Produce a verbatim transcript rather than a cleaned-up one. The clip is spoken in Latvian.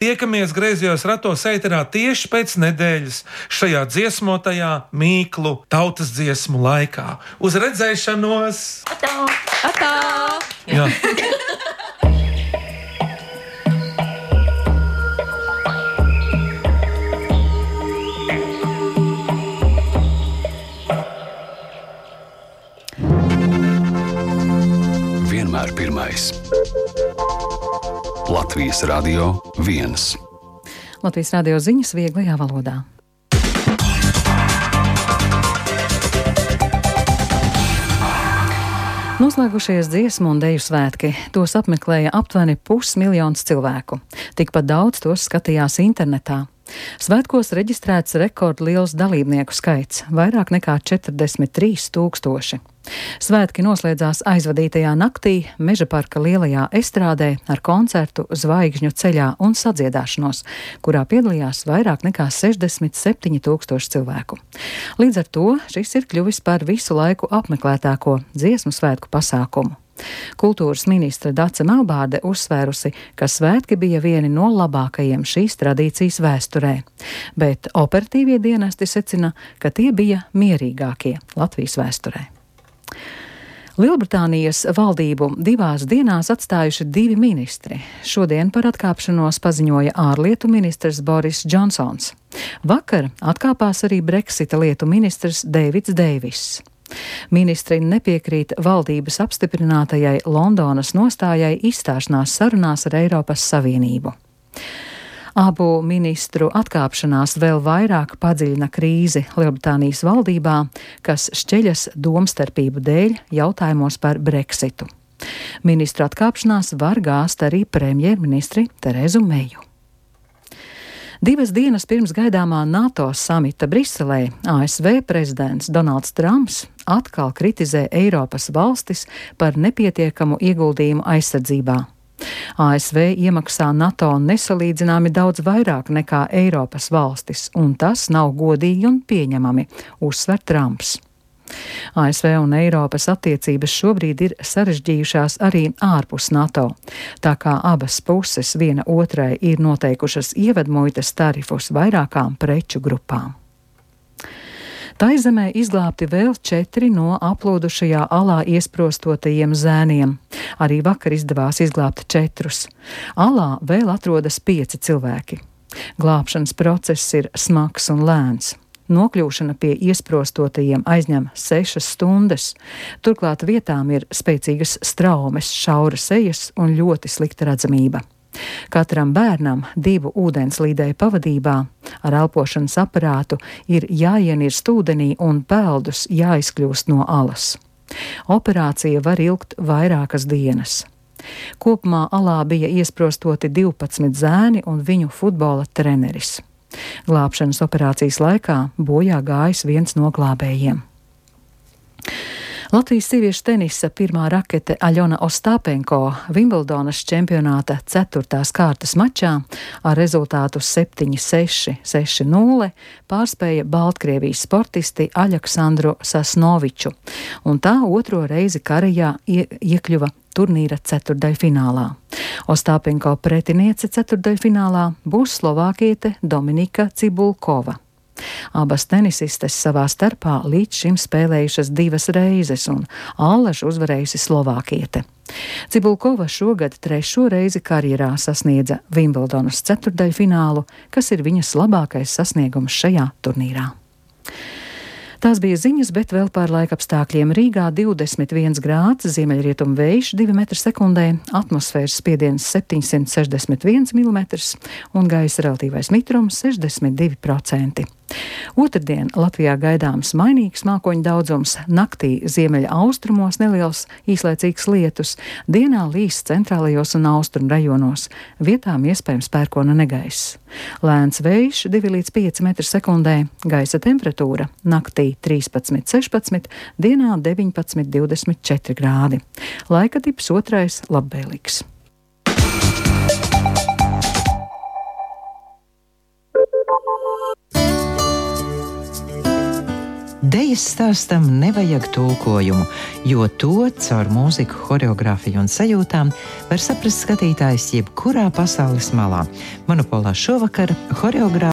Tiekamies Griezījos ratos ēterā tieši pēc nedēļas šajā dziesmotajā Mīklu tautas dziesmu laikā. Uz redzēšanos! Atā! Atā! Jā. Vienmēr pirmais. Latvijas Radio viens. Latvijas radio ziņas vieglajā valodā. Noslēgušies dziesmu un deju svētki. Tos apmeklēja aptuveni pusmiljons cilvēku. Tikpat daudz tos skatījās internetā. Svētkos reģistrēts rekordliels dalībnieku skaits – vairāk nekā četrdesmit trīs tūkstoši. Svētki noslēdzās aizvadītajā naktī Mežaparka lielajā estrādē ar koncertu Zvaigžņu ceļā un sadziedāšanos, kurā piedalījās vairāk nekā sešdesmit septiņi tūkstoši cilvēku. Līdz ar to šis ir kļuvis par visu laiku apmeklētāko dziesmu svētku pasākumu. Kultūras ministre Dace Melbārde uzsvērusi, ka svētki bija vieni no labākajiem šīs tradīcijas vēsturē, bet operatīvie dienesti secina, ka tie bija mierīgākie Latvijas vēsturē. Lielbritānijas valdību divās dienās atstājuši divi ministri. Šodien par atkāpšanos paziņoja ārlietu ministrs Boris Džonsons. Vakar atkāpās arī Brexita lietu ministrs Deivids Deiviss. Ministri nepiekrīt valdības apstiprinātajai Londonas nostājai izstāšanās sarunās ar Eiropas Savienību. Abu ministru atkāpšanās vēl vairāk padziļina krīzi Lielbritānijas valdībā, kas šķeļas domstarpību dēļ jautājumos par Brexitu. Ministru atkāpšanās var gāzt arī premjerministri Terezu Meju. Divas dienas pirms gaidāmā NATO samita Briselē A S V prezidents Donalds Trumps atkal kritizē Eiropas valstis par nepietiekamu ieguldījumu aizsardzībā. A S V iemaksā NATO nesalīdzināmi daudz vairāk nekā Eiropas valstis, un tas nav godīgi un pieņemami, uzsver Trumps. A S V un Eiropas attiecības šobrīd ir sarežģījušās arī ārpus NATO, tā kā abas puses viena otrai ir noteikušas ievedmuitas tarifus vairākām preču grupām. Taizemē izglābti vēl četri no aplūdušajā alā iesprostotajiem zēniem. Arī vakar izdevās izglābt četrus. Alā vēl atrodas pieci cilvēki. Glābšanas process ir smags un lēns. Nokļūšana pie iesprostotajiem aizņem sešas stundas. Turklāt vietām ir spēcīgas straumes, šauras ejas un ļoti slikta redzamība. Katram bērnam divu ūdenslīdēju pavadībā ar elpošanas aparātu ir jāienirst ūdenī un peldus jāizkļūst no alas. Operācija var ilgt vairākas dienas. Kopumā alā bija iesprostoti divpadsmit zēni un viņu futbola treneris. Glābšanas operācijas laikā bojā gājis viens no glābējiem. Latvijas sieviešu tenisa pirmā rakete Aļona Ostāpenko Vimbldonas čempionāta ceturtās kārtas mačā ar rezultātu septiņi seši, seši nulle pārspēja Baltkrievijas sportisti Aļaksandru Sasnoviču, un tā otro reizi karajā ie, iekļuva turnīra ceturdaļfinālā. Ostāpenko pretiniece ceturdaļfinālā būs slovākiete Dominika Cibulkova. Abas tenisistes savā starpā līdz šim spēlējušas divas reizes, un allažu uzvarējusi slovākiete. Cibulkova šogad trešo reizi karjerā sasniedza Vimbldonas ceturdaļfinālu, kas ir viņas labākais sasniegums šajā turnīrā. Tās bija ziņas, bet vēl par laikapstākļiem. Rīgā divdesmit viens grāds, ziemeļrietumu vējš divi metri sekundē, atmosfēras spiediens septiņsimt sešdesmit viens milimetrs un gaisa relatīvais mitrums sešdesmit divi procenti. Otrdien Latvijā gaidāms mainīgs mākoņu daudzums, naktī ziemeļa austrumos neliels īslaicīgs lietus, dienā līs centrālajos un austrumu rajonos, vietām iespējams pērkona negaiss. Lēns vējš divi līdz pieci metri sekundē, gaisa temperatūra naktī trīspadsmit sešpadsmit, dienā deviņpadsmit divdesmit četri grādi. Laika tips otrais labvēlīgs. Dejas stāstam nevajag tulkojumu, jo to caur mūziku, horeogrāfiju un sajūtām var saprast skatītājs jebkurā pasaules malā. Monopolā šovakar horeogrāfija